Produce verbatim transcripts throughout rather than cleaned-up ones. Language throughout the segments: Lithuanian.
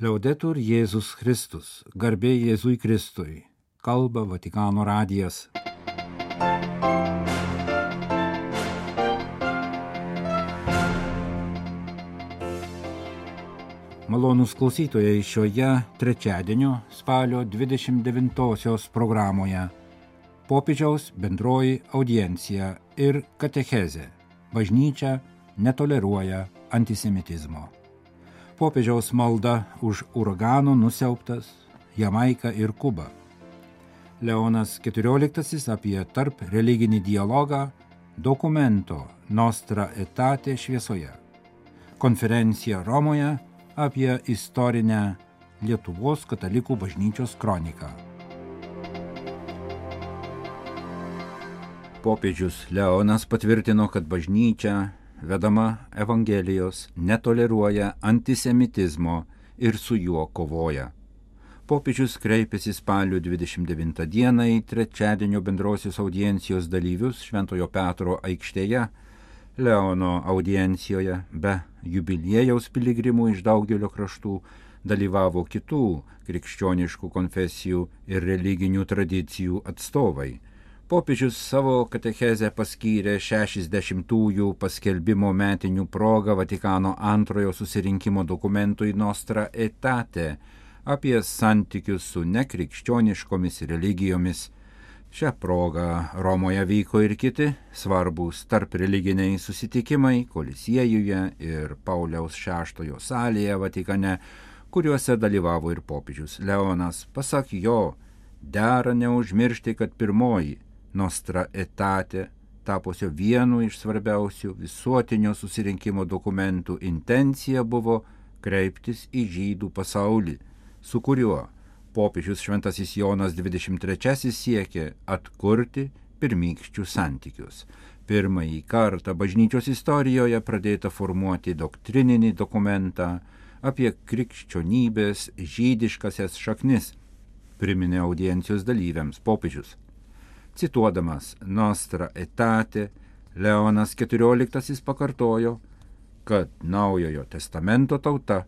Liaudetur Jėzus Kristus, garbė Jėzui Kristui, kalba Vatikano radijas. Malonūs klausytojai, šioje trečiadienio spalio dvidešimt devintosios programoje popiežiaus bendroji audiencija ir katechezė. Bažnyčia netoleruoja antisemitizmo. Popiežiaus malda už uragano nusiaubtas Jamaiką ir Kubą. Leonas keturioliktasis apie tarp religinį dialogą dokumento Nostra Aetate šviesoje. Konferencija Romoje apie istorinę Lietuvos katalikų bažnyčios kroniką. Popiežius Leonas patvirtino, kad bažnyčia vedama Evangelijos netoleruoja antisemitizmo ir su juo kovoja. Popiežius kreipėsi spalio dvidešimt devintą dieną į trečiadienio bendrosios audiencijos dalyvius Šventojo Petro aikštėje. Leono audiencijoje be jubiliejaus piligrimų iš daugelio kraštų dalyvavo kitų krikščioniškų konfesijų ir religinių tradicijų atstovai. Popiežius savo katechezę paskyrė šešiasdešimtųjų paskelbimo metinių progą Vatikano antrojo susirinkimo dokumentui Nostra Aetate apie santykius su nekrikščioniškomis religijomis. Šią progą Romoje vyko ir kiti svarbūs tarp religiniai susitikimai Kolisiejuje ir Pauliaus šeštojo salėje Vatikane, kuriuose dalyvavo ir popiežius Leonas. Pasak jo, dera neužmiršti, kad pirmoji Nostra Aetate, tapusio vienu iš svarbiausių visuotinio susirinkimo dokumentų, intencija buvo kreiptis į žydų pasaulį, su kuriuo popiežius Šventasis Jonas dvidešimt trečiasis siekė atkurti pirmykščius santykius. Pirmąjį kartą bažnyčios istorijoje pradėta formuoti doktrininį dokumentą apie krikščionybės žydiškasias šaknis, priminė audiencijos dalyviams popiežius. Cituodamas Nostra Aetate, Leonas keturioliktasis pakartojo, kad Naujojo testamento tauta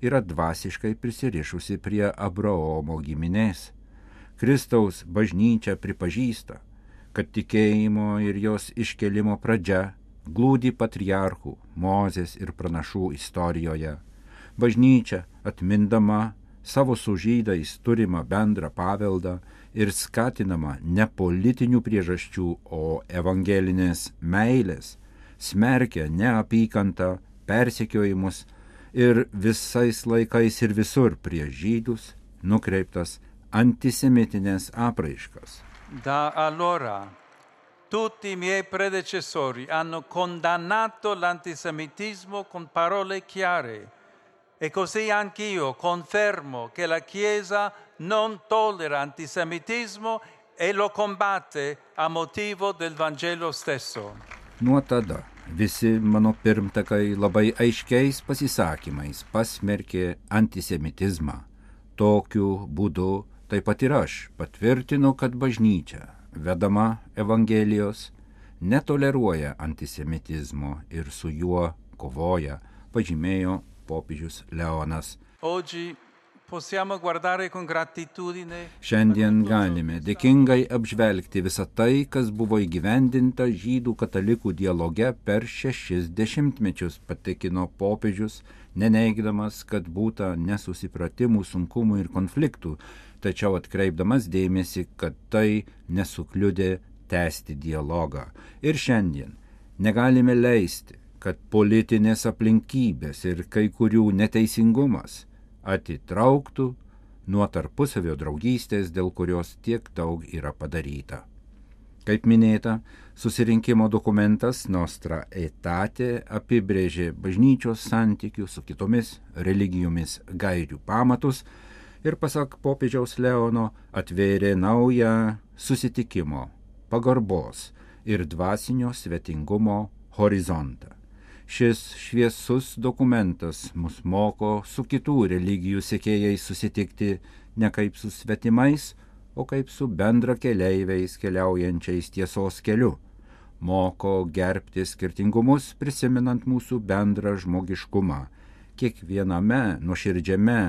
yra dvasiškai prisirišusi prie Abraomo giminės. Kristaus bažnyčia pripažįsta, kad tikėjimo ir jos iškelimo pradžia glūdi patriarchų, Mozės ir pranašų istorijoje. Bažnyčia, atmindama savo su žydais turimą bendrą paveldą ir skatinama ne politinių priežasčių, o evangelinės meilės, smerkia neapykantą, persekiojimus ir visais laikais ir visur prieš žydus nukreiptas antisemitinės apraiškas. Da allora tutti i miei predecessori hanno condannato l'antisemitismo con parole chiare. E così anch'io confermo che la Chiesa non tollera antisemitismo e lo combatte a motivo del Vangelo stesso. Nuo tada visi mano pirmtakai labai aiškiais pasisakymais pasmerkė antisemitizmą. Tokiu būdu taip pat ir aš patvirtinu, kad bažnyčia, vedama Evangelijos, netoleruoja antisemitizmo ir su juo kovoja, pažymėjo popiežius Leonas. Oggi possiamo guardare con gratitudine. Šiandien galime dėkingai apžvelgti visą tai, kas buvo įgyvendinta žydų katalikų dialoge per šešis dešimtmečius, patikino popiežius, neneigdamas, kad būta nesusipratimų, sunkumų ir konfliktų, tačiau atkreipdamas dėmesį, kad tai nesukliudė tęsti dialogą. Ir šiandien negalime leisti, kad politinės aplinkybės ir kai kurių neteisingumas atitrauktų nuo tarpusavio draugystės, dėl kurios tiek daug yra padaryta. Kaip minėta, susirinkimo dokumentas Nostra Aetate apibrėžė bažnyčios santykių su kitomis religijomis gairių pamatus ir, pasak popiežiaus Leono, atvėrė naują susitikimo, pagarbos ir dvasinio svetingumo horizontą. Šis šviesus dokumentas mus moko su kitų religijų sekėjais susitikti ne kaip su svetimais, o kaip su bendrakeleiviais keliaujančiais tiesos keliu. Moko gerbti skirtingumus, prisimenant mūsų bendrą žmogiškumą, kiekviename nuoširdžiame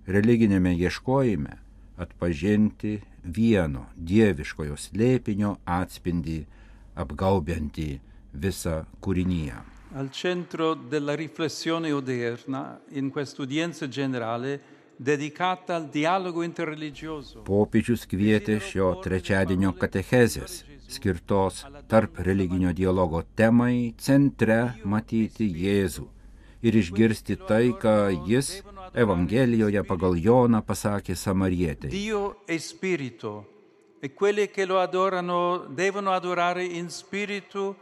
religinėme ieškojime atpažinti vieno dieviškojo slėpinio atspindį apgaubiantį visą kūriniją. Al centro della riflessione odierna, in quest'udienza generale, dedicata al dialogo interreligioso. Popiežius kvietė šio trečiadienio katechezės, skirtos tarp religinio dialogo temai, centre matyti Jėzų ir išgirsti tai, ką jis Evangelijoje pagal Joną pasakė samarietei. Dio è spirito e quelli che lo adorano devono adorare in spirito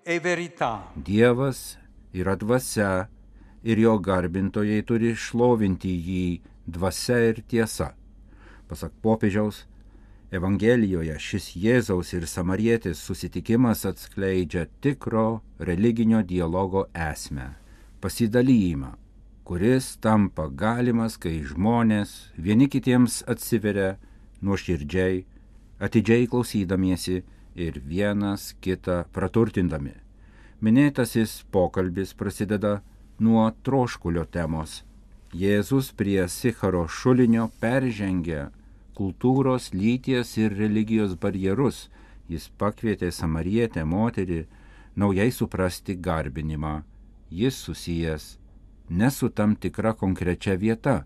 e verità. Dievas yra dvasia ir jo garbintojai turi šlovinti jį dvasia ir tiesa. Pasak popiežiaus, Evangelijoje šis Jėzaus ir samarietės susitikimas atskleidžia tikro religinio dialogo esmę, pasidalijimą, kuris tampa galimas, kai žmonės vieni kitiems atsiveria nuoširdžiai, atidžiai klausydamiesi ir vienas kitą praturtindami. Minėtasis pokalbis prasideda nuo troškulio temos. Jėzus prie Sicharo šulinio peržengia kultūros, lyties ir religijos barjerus. Jis pakvietė samarietę moterį naujai suprasti garbinimą. Jis susijęs ne su tam tikra konkrečia vieta,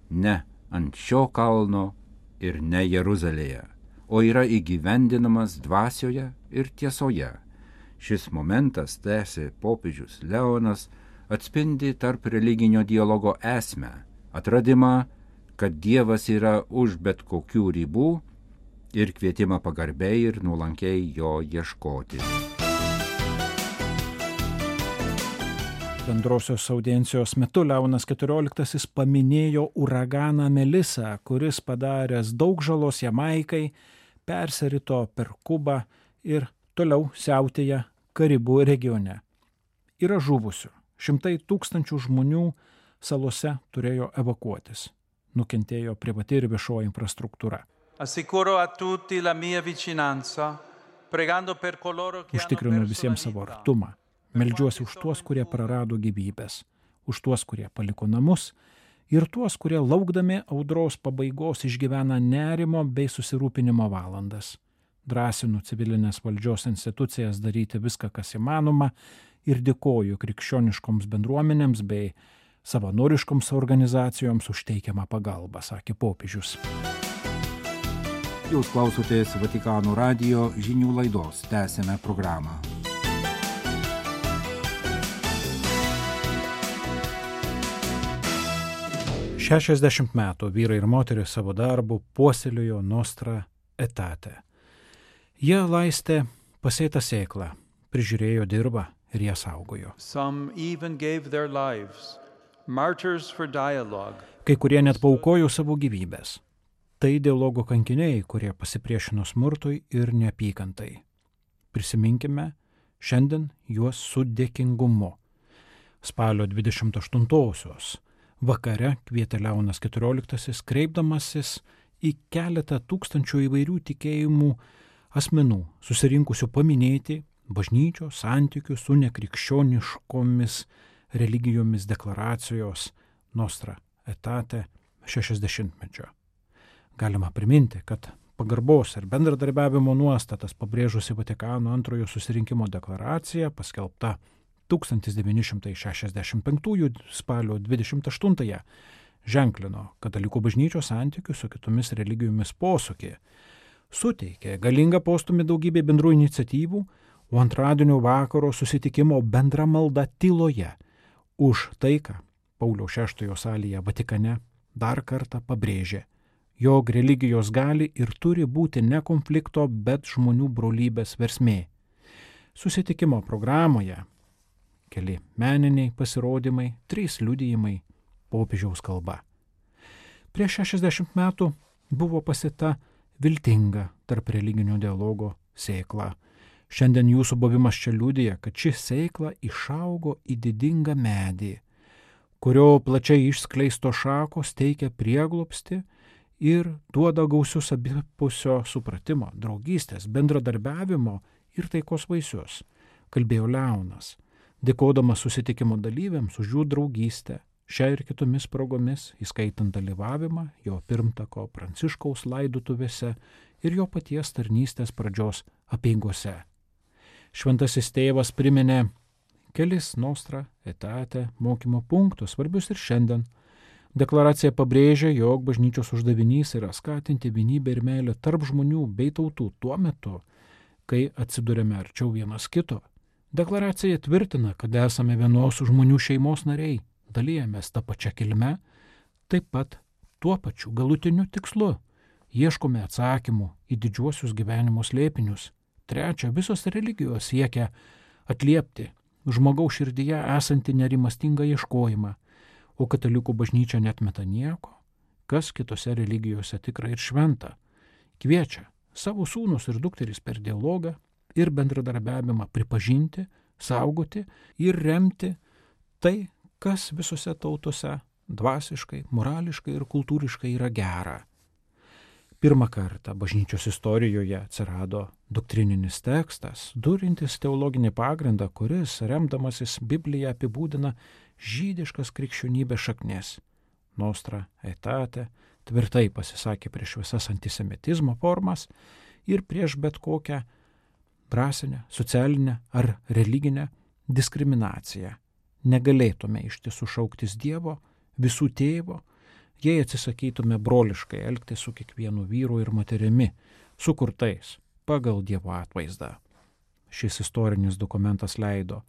ne ant šio kalno ir ne Jeruzalėje, o yra įgyvendinamas dvasioje ir tiesoje. Šis momentas, tęsė popiežius Leonas, atspindi tarp religinio dialogo esmę, atradimą, kad Dievas yra už bet kokių ribų ir kvietimą pagarbiai ir nuolankiai jo ieškoti. Bendrosios audiencijos metu Leonas keturioliktasis paminėjo uraganą Melisą, kuris padaręs daug žalos Jamaikai, persirito per Kubą ir toliau siautėja Karibų regione. Yra žuvusių. Šimtai tūkstančių žmonių salose turėjo evakuotis. Nukentėjo privati ir viešoji infrastruktūra. Assicuro a tutti la mia vicinanza, pregando per coloro che Užtikrinu visiems savo artumą. Meldžiuosi už tuos, kurie prarado gyvybės, už tuos, kurie paliko namus ir tuos, kurie laukdami audros pabaigos išgyvena nerimo bei susirūpinimo valandas. Drąsinu civilinės valdžios institucijas daryti viską, kas įmanoma ir dėkoju krikščioniškoms bendruomenėms bei savanoriškoms organizacijoms už teikiamą pagalbą, sakė popiežius. Jūs klausotės Vatikano radijo žinių laidos. Tęsime programą. šešiasdešimt metų vyrai ir moteris savo darbu puoselėjo Nostra Aetate. Jie laistė pasėtą sėklą, prižiūrėjo dirvą ir ją saugojo. Some even gave their lives, martyrs for dialogue. Kai kurie net paaukojo savo gyvybės. Tai dialogo kankiniai, kurie pasipriešino smurtui ir neapykantai. Prisiminkime šiandien juos su dėkingumu. Spalio dvidešimt aštuntosios vakare kvietė Leonas keturioliktasis, kreipdamasis į keletą tūkstančių įvairių tikėjimų asmenų, susirinkusių paminėti bažnyčios santykių su nekrikščioniškomis religijomis deklaracijos Nostra Aetate šešiasdešimtmečio. Galima priminti, kad pagarbos ir bendradarbiavimo nuostatas pabrėžusi Vatikano antrojo susirinkimo deklaracija, paskelbta tūkstantis devyni šimtai šešiasdešimt penktųjų spalio dvidešimt aštuntąją, ženklino katalikų bažnyčios santykių su kitomis religijomis posūkį, suteikė galingą postūmį daugybė bendrų iniciatyvų, o antradienio vakaro susitikimo bendra malda tyloje už taiką Pauliaus šeštojo salėje Vatikane dar kartą pabrėžė, jog religijos gali ir turi būti ne konflikto, bet žmonių brolybės versmė. Susitikimo programoje keli meniniai pasirodymai, trys liudijimai, popiežiaus kalba. Prieš šešiasdešimt metų buvo pasėta viltinga tarp religinio dialogo sėkla. Šiandien jūsų buvimas čia liudija, kad ši sėkla išaugo į didingą medį, kurio plačiai išskleisto šakos teikia prieglobstį ir duoda gausius abipusio supratimo, draugystės, bendradarbiavimo ir taikos vaisius, kalbėjo Leonas, dėkodamas susitikimo dalyviams už jų draugystę, Šią ir kitomis progomis, įskaitant dalyvavimą jo pirmtako Pranciškaus laidotuvėse ir jo paties tarnystės pradžios apeigose. Šventasis tėvas priminė kelis Nostra Aetate mokymo punktus, svarbius ir šiandien. Deklaracija pabrėžia, jog bažnyčios uždavinys yra skatinti vienybę ir meilę tarp žmonių bei tautų tuo metu, kai atsidurėme arčiau vienas kito. Deklaracija tvirtina, kad esame vienos žmonių šeimos nariai, dalyjamės tą pačią kilmę, taip pat tuo pačiu galutiniu tikslu. Ieškome atsakymų į didžiuosius gyvenimo slėpinius. Trečia, visos religijos siekia atliepti žmogaus širdyje esantį nerimastingą ieškojimą, o katalikų bažnyčia netmeta nieko, kas kitose religijose tikra ir šventa. Kviečia savo sūnus ir dukteris per dialogą ir bendradarbiavimą pripažinti, saugoti ir remti tai, kas visose tautose dvasiškai, morališkai ir kultūriškai yra gera. Pirmą kartą bažnyčios istorijoje atsirado doktrininis tekstas, turintis teologinį pagrindą, kuris, remdamasis Bibliją, apibūdina žydiškas krikščionybės šaknis. Nostra Aetate tvirtai pasisakė prieš visas antisemitizmo formas ir prieš bet kokią rasinę, socialinę ar religinę diskriminaciją. Negalėtume iš tiesų šauktis Dievo, visų tėvo, jei atsisakytume broliškai elgti su kiekvienu vyru ir moterimi, sukurtais pagal Dievo atvaizdą. Šis istorinis dokumentas leido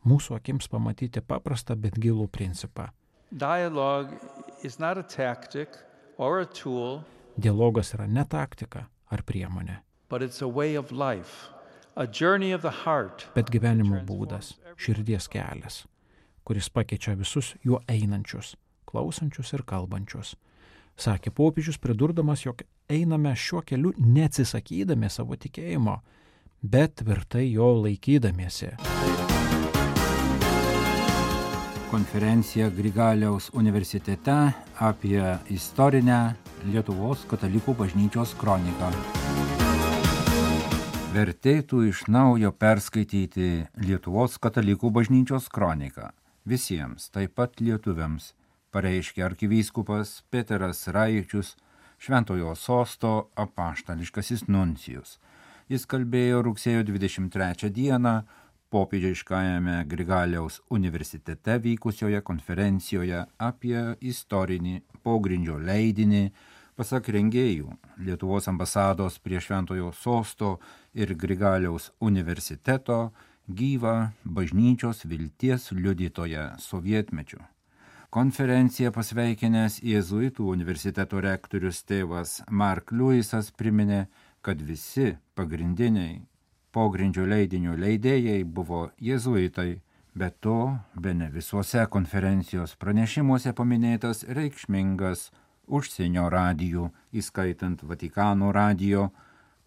mūsų akims pamatyti paprastą, bet gilų principą. Dialogue is not a tactic or a tool, Dialogas yra ne taktika ar priemonė, but it's a way of life, a journey of the heart. bet gyvenimo būdas, širdies kelias, kuris pakeičia visus juo einančius, klausančius ir kalbančius. Sakė popiežius, pridurdamas, jog einame šiuo keliu neatsisakydami savo tikėjimo, bet tvirtai jo laikydamiesi. Konferencija Grigaliaus universitete apie istorinę Lietuvos katalikų bažnyčios kroniką. Vertėtų iš naujo perskaityti Lietuvos katalikų bažnyčios kroniką. Visiems, taip pat lietuviams, pareiškė arkivyskupas Peteras Raičius, Šventojo sosto apaštališkasis nuncijus. Jis kalbėjo rugsėjo dvidešimt trečią dieną popiežiškajame Grigaliaus universitete vykusioje konferencijoje apie istorinį pogrindžio leidinį, pasak rengėjų, Lietuvos ambasados prie Šventojo sosto ir Grigaliaus universiteto gyvą bažnyčios vilties liudytoją sovietmečiu. Konferenciją pasveikinęs Jėzuitų universiteto rektorius tėvas Mark Lewisas priminė, kad visi pagrindiniai pogrindžio leidinio leidėjai buvo jėzuitai, bet to bene visuose konferencijos pranešimuose paminėtas reikšmingas užsienio radijų, įskaitant Vatikano radijo,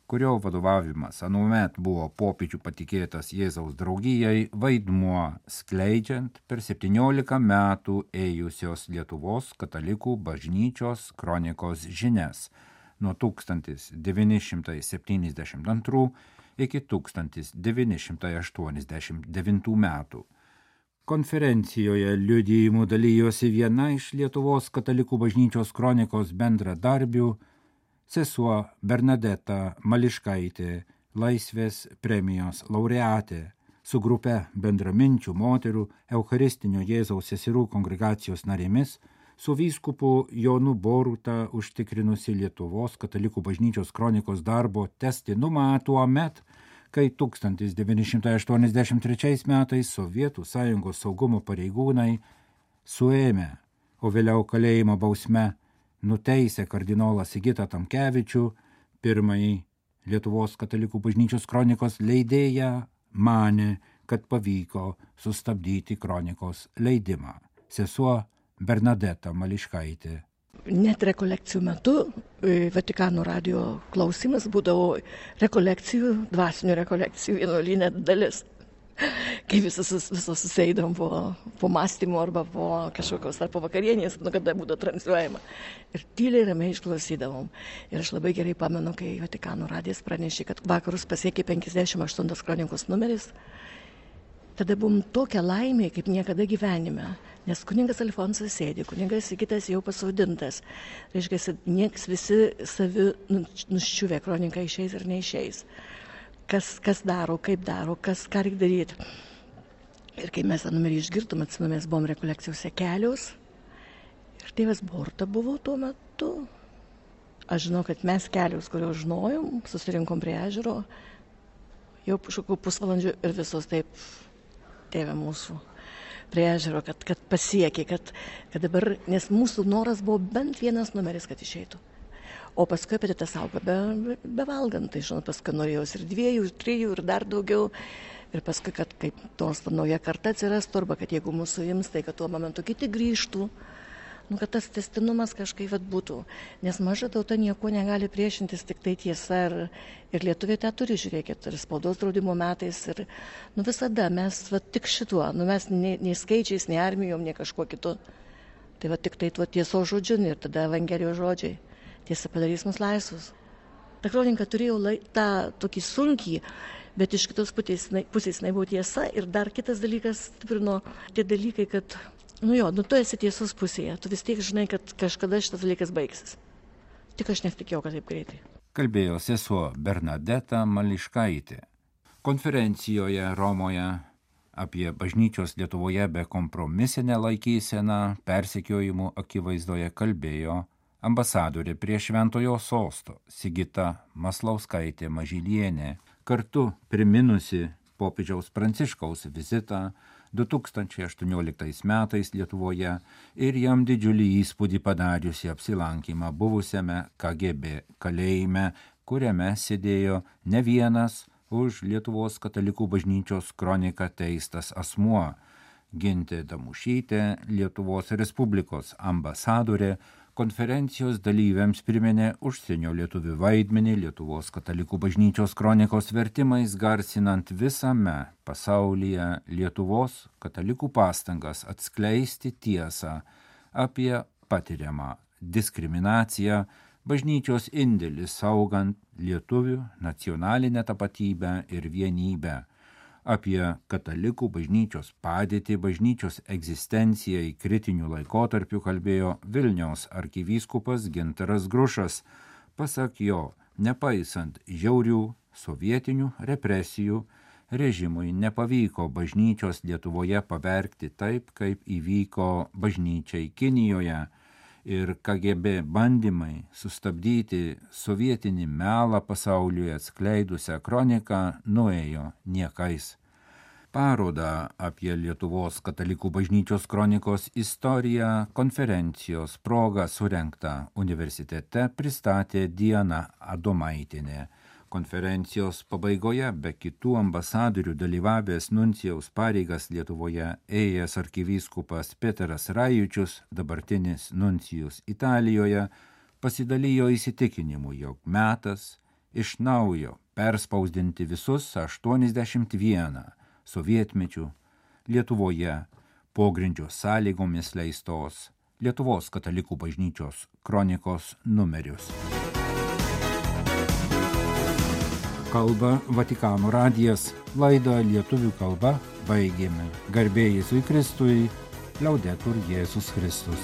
kurio vadovavimas anuomet buvo popiežių patikėtas Jėzaus draugijai, vaidmuo skleidžiant per septyniolika metų ėjusios Lietuvos katalikų bažnyčios kronikos žinias nuo tūkstantis devyni šimtai septyniasdešimt antrų iki tūkstantis devyni šimtai aštuoniasdešimt devintų metų. Konferencijoje liudijimų dalijosi viena iš Lietuvos katalikų bažnyčios kronikos bendradarbių, sesuo Bernadeta Mališkaitė, Laisvės premijos laureatė, su grupe bendraminčių moterų Eucharistinio Jėzaus seserų kongregacijos narėmis, su vyskupu Jonu Boruta užtikrinusi Lietuvos katalikų bažnyčios kronikos darbo tęstinumą tuomet, kai tūkstantis devyni šimtai aštuoniasdešimt trečiais metais Sovietų sąjungos saugumo pareigūnai suėmė, o vėliau kalėjimo bausme nuteisė kardinolą Sigitą Tamkevičių, pirmąjį Lietuvos katalikų bažnyčios kronikos leidėją, manė, kad pavyko sustabdyti kronikos leidimą. Sesuo Bernadeta Mališkaitė. Net rekolekcijų metu Vatikano radijo klausimas būdavo rekolekcijų, dvasinių rekolekcijų vienuolyne dalis. Kai visos, visos susėdom po, po mąstymo arba po kažkokios ar po vakarienės, nu, kada būdavo transliuojama. Ir tyliai ramiai išklausydavom. Ir aš labai gerai pamenu, kai Vatikano radijas pranešė, kad vakarus pasiekė penkiasdešimt aštuntas kronikos numeris. Tada buvom tokia laimė, kaip niekada gyvenime. Nes kuningas Alfonsas sėdi, kuningas Sigitas jau pasodintas. Reiškia, nieks visi savi nuščiuvę, kronika išeis ar neišeis. Kas, kas daro, kaip daro, kas ką reikia daryti. Ir kai mes tą numerį išgirdom, atsimenu, mes buvom rekolekcijose kelios. Ir tėvas Borta buvo tuo metu. Aš žinau, kad mes kelius, kuriuos žinojom, susirinkom prie ežero, jau kažkokiu pusvalandžiu ir visos taip, tėve mūsų, prie ežero, kad, kad pasiekė, kad, kad dabar, nes mūsų noras buvo bent vienas numeris, kad išeitų. O paskui apie tą saugą be, be valgant, tai žinot, paskui norėjausi ir dviejų, ir trijų, ir dar daugiau. Ir paskui, kad kaip nors nauja karta atsirastų, arba kad jeigu mūsų ims, tai kad tuo momentu kiti grįžtų. Nu, kad tas tęstinumas kažkaip vat būtų, nes maža tauta nieko negali priešintis, tik tai tiesa ir, ir lietuviai tą turi, žiūrėkit, ir spaudos draudimo metais, ir nu, visada mes vat, tik šituo, nu, mes nei, nei skaičiais, nei armijom, nei kažkuo kitu, tai vat, tik tai tuo tiesos žodžiu ir tada Evangelijos žodžiai, tiesa padarys mus laisvus. Ta kronika turėjo lai, tą tokį sunkį, bet iš kitos pusės, pusės jinai buvo tiesa ir dar kitas dalykas stiprino tie dalykai, kad nu jo, nu tu esi tiesos pusėje, tu vis tiek žinai, kad kažkada šitas dalykas baigsis. Tik aš nesitikėjau, kad taip greitai. Kalbėjo sesuo Bernadeta Mališkaitė. Konferencijoje Romoje apie bažnyčios Lietuvoje bekompromisinę laikyseną persekiojimų akivaizdoje kalbėjo ambasadorė prie Šventojo sosto Sigita Maslauskaitė Mažylienė, kartu priminusi popiežiaus Pranciškaus vizitą du tūkstančiai aštuonioliktais metais Lietuvoje ir jam didžiulį įspūdį padariusi apsilankymą buvusiame K G B kalėjime, kuriame sėdėjo ne vienas už Lietuvos katalikų bažnyčios kroniką teistas asmuo. Gintė Damušytė, Lietuvos Respublikos ambasadorė, konferencijos dalyviams priminė užsienio lietuvių vaidmenį Lietuvos katalikų bažnyčios kronikos vertimais, garsinant visame pasaulyje Lietuvos katalikų pastangas atskleisti tiesą apie patiriamą diskriminaciją, bažnyčios indėlį saugant lietuvių nacionalinę tapatybę ir vienybę, apie katalikų bažnyčios padėtį, bažnyčios egzistencijai kritinių laikotarpių kalbėjo Vilniaus arkivyskupas Gintaras Grušas. Pasak jo, nepaisant žiaurių sovietinių represijų, režimui nepavyko bažnyčios Lietuvoje pavergti taip, kaip įvyko bažnyčiai Kinijoje. Ir K G B bandymai sustabdyti sovietinį melą pasauliui atskleidusią kroniką nuėjo niekais. Parodą apie Lietuvos katalikų bažnyčios kronikos istoriją konferencijos proga surengtą universitete pristatė Diana Adomaitienė. Konferencijos pabaigoje be kitų ambasadorių dalyvavęs nuncijaus pareigas Lietuvoje ėjęs arkivyskupas Peteras Rajučius, dabartinis nuncijus Italijoje, pasidalijo įsitikinimu, jog metas iš naujo perspausdinti visus aštuoniasdešimt vieną sovietmečių Lietuvoje pogrindžio sąlygomis leistos Lietuvos katalikų bažnyčios kronikos numerius. Kalba Vatikano radijas, laidą lietuvių kalba baigėme. Garbė Jėzui Kristui, Laudetur Jėzus Kristus.